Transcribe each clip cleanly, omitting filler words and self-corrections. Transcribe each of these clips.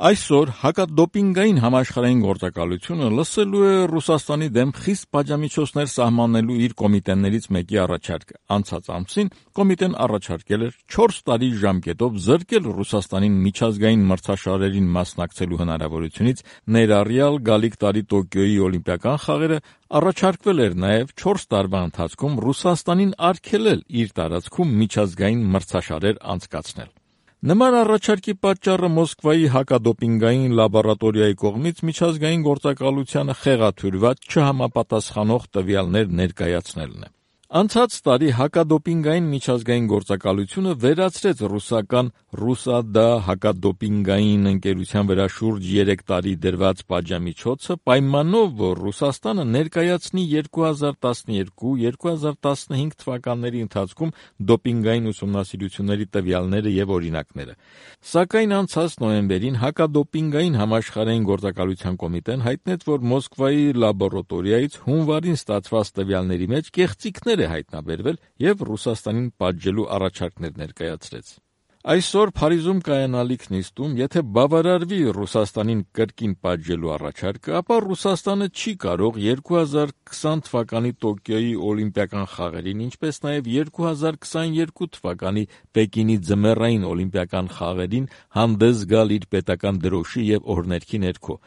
Այսօր հակադոպինգային համաշխարհային գործակալությունը լսելու է Ռուսաստանի դեմ խիստ պատժամիջոցներ սահմանելու իր կոմիտեներից մեկի առաջարկը։ Անցած ամսին կոմիտեն առաջարկել էր 4 տարի ժամկետով զրկել Ռուսաստանին միջազգային մրցաշարերին մասնակցելու հնարավորությունից, ներառյալ գալիք տարի Տոկիոյի օլիմպիական խաղերը, առաջարկվել էր նաև 4 տարվա ընթացքում Ռուսաստանին արգելել իր տարածքում միջազգային մրցաշարեր անցկացնել։ Նման առաջարկի պատճառը Մոսկվայի հակադոպինգային լաբորատորիայի կողմից միջազգային գործակալությանը խեղաթյուրված չհամապատասխանող տվյալներ ներկայացնելն է։ Անցած տարի հակադոպինգային միջազգային գործակալությունը վերացրեց ռուսական «Ռուսադա» հակադոպինգային ընկերության վրա շուրջ 3 տարի դրված պատժամիջոցը պայմանով, որ Ռուսաստանը ներկայացնի 2012-2015 թվականների ընթացքում դոպինգային ուսումնասիրությունների տվյալները և օրինակները։ Սակայն անցած նոյեմբերին հակադոպինգային համաշխարհային գործակալության կոմիտեն հայտնեց, որ Մոսկվայի լաբորատորիայից հունվարին ստացված տվյալների մեջ կեղծիքներ է հայտնաբերվել և Ռուսաստանին պատժելու առաջարկներ ներկայացրեց։ Այսօր Փարիզում կայանալիք նիստում, եթե բավարարվի Ռուսաստանին կրկին պատժելու առաջարկը, ապա Ռուսաստանը չի կարող 2020 թվականի Տոկիոյի օլիմպիական խաղերին, ինչպես նաև 2022 թվականի Պեկինի ձմեռային օլիմպիական խաղերին հանդես գալ իր պետական դրոշի և օրհներգի ներքո։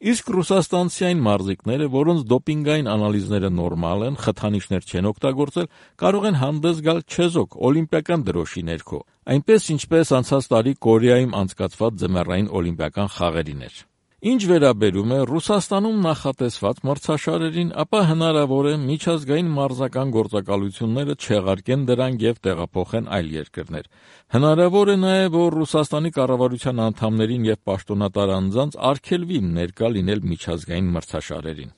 Իսկ ռուսաստանցի այն մարզիկները, որոնց դոպինգային անալիզները նորմալ են, խթանիչներ չեն օգտագործել, կարող են հանդես գալ չեզոք օլիմպիական դրոշի ներքո, այնպես ինչպես անցած տարի Կորեայում անցկացված ձմեռային օլիմպիական խաղերին էր։ Ինչ վերաբերում է Ռուսաստանում նախատեսված մրցաշարերին, ապա հնարավոր է միջազգային մարզական գործակալությունները չեղարկեն դրանք և տեղափոխեն այլ երկրներ։ Հնարավոր է նաև, որ Ռուսաստանի կառավարության անդամներին և պաշտոնատար անձանց արգելվի ներկա լինել միջազգային մրցաշարերին։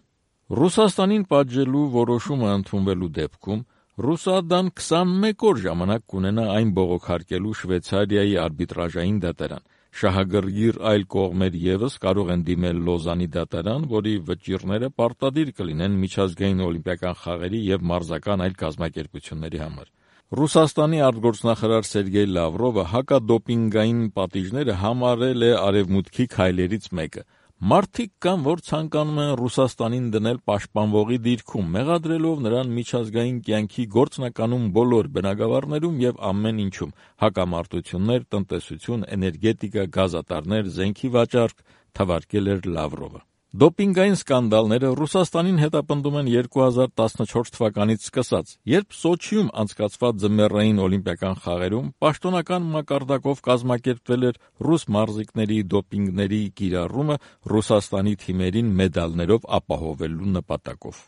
Ռուսաստանին պատժելու որոշումը ընդունվելու դեպքում Ռուսադան 21 օր ժամանակ կունենա այն բողոքարկելու Շվեյցարիայի արբիտրաժային դատարան։ Շահագրգիռ այլ կողմեր ևս կարող են դիմել Լոզանի դատարան, որի վճիռները պարտադիր կլինեն միջազգային օլիմպիական խաղերի և մարզական այլ կազմակերպությունների համար։ Ռուսաստանի արտգործնախարար Սերգեյ Լավրովը հակադոպինգային պատիժները համարել է արևմուտքի քայլերից մեկը։ Մարդիկ կան, որ ցանկանում են Ռուսաստանին դնել պաշտպանվողի դիրքում, մեղադրելով նրան միջազգային կյանքի գործնականում բոլոր բնագավառներում և ամեն ինչում՝ հակամարտություններ, տնտեսություն, էներգետիկա, գազատարներ, զենքի վաճառք, թվարկել էր Լավրովը։ Դոպինգային սկանդալները Ռուսաստանին հետապնդում են 2014 թվականից սկսած, երբ Սոչիում անցկացված ձմեռային օլիմպիական խաղերում պաշտոնական մակարդակով կազմակերպվել էր ռուս մարզիկների դոպինգների կիրառումը Ռուսաստանի թիմերին մեդալներով ապահովելու նպատակով։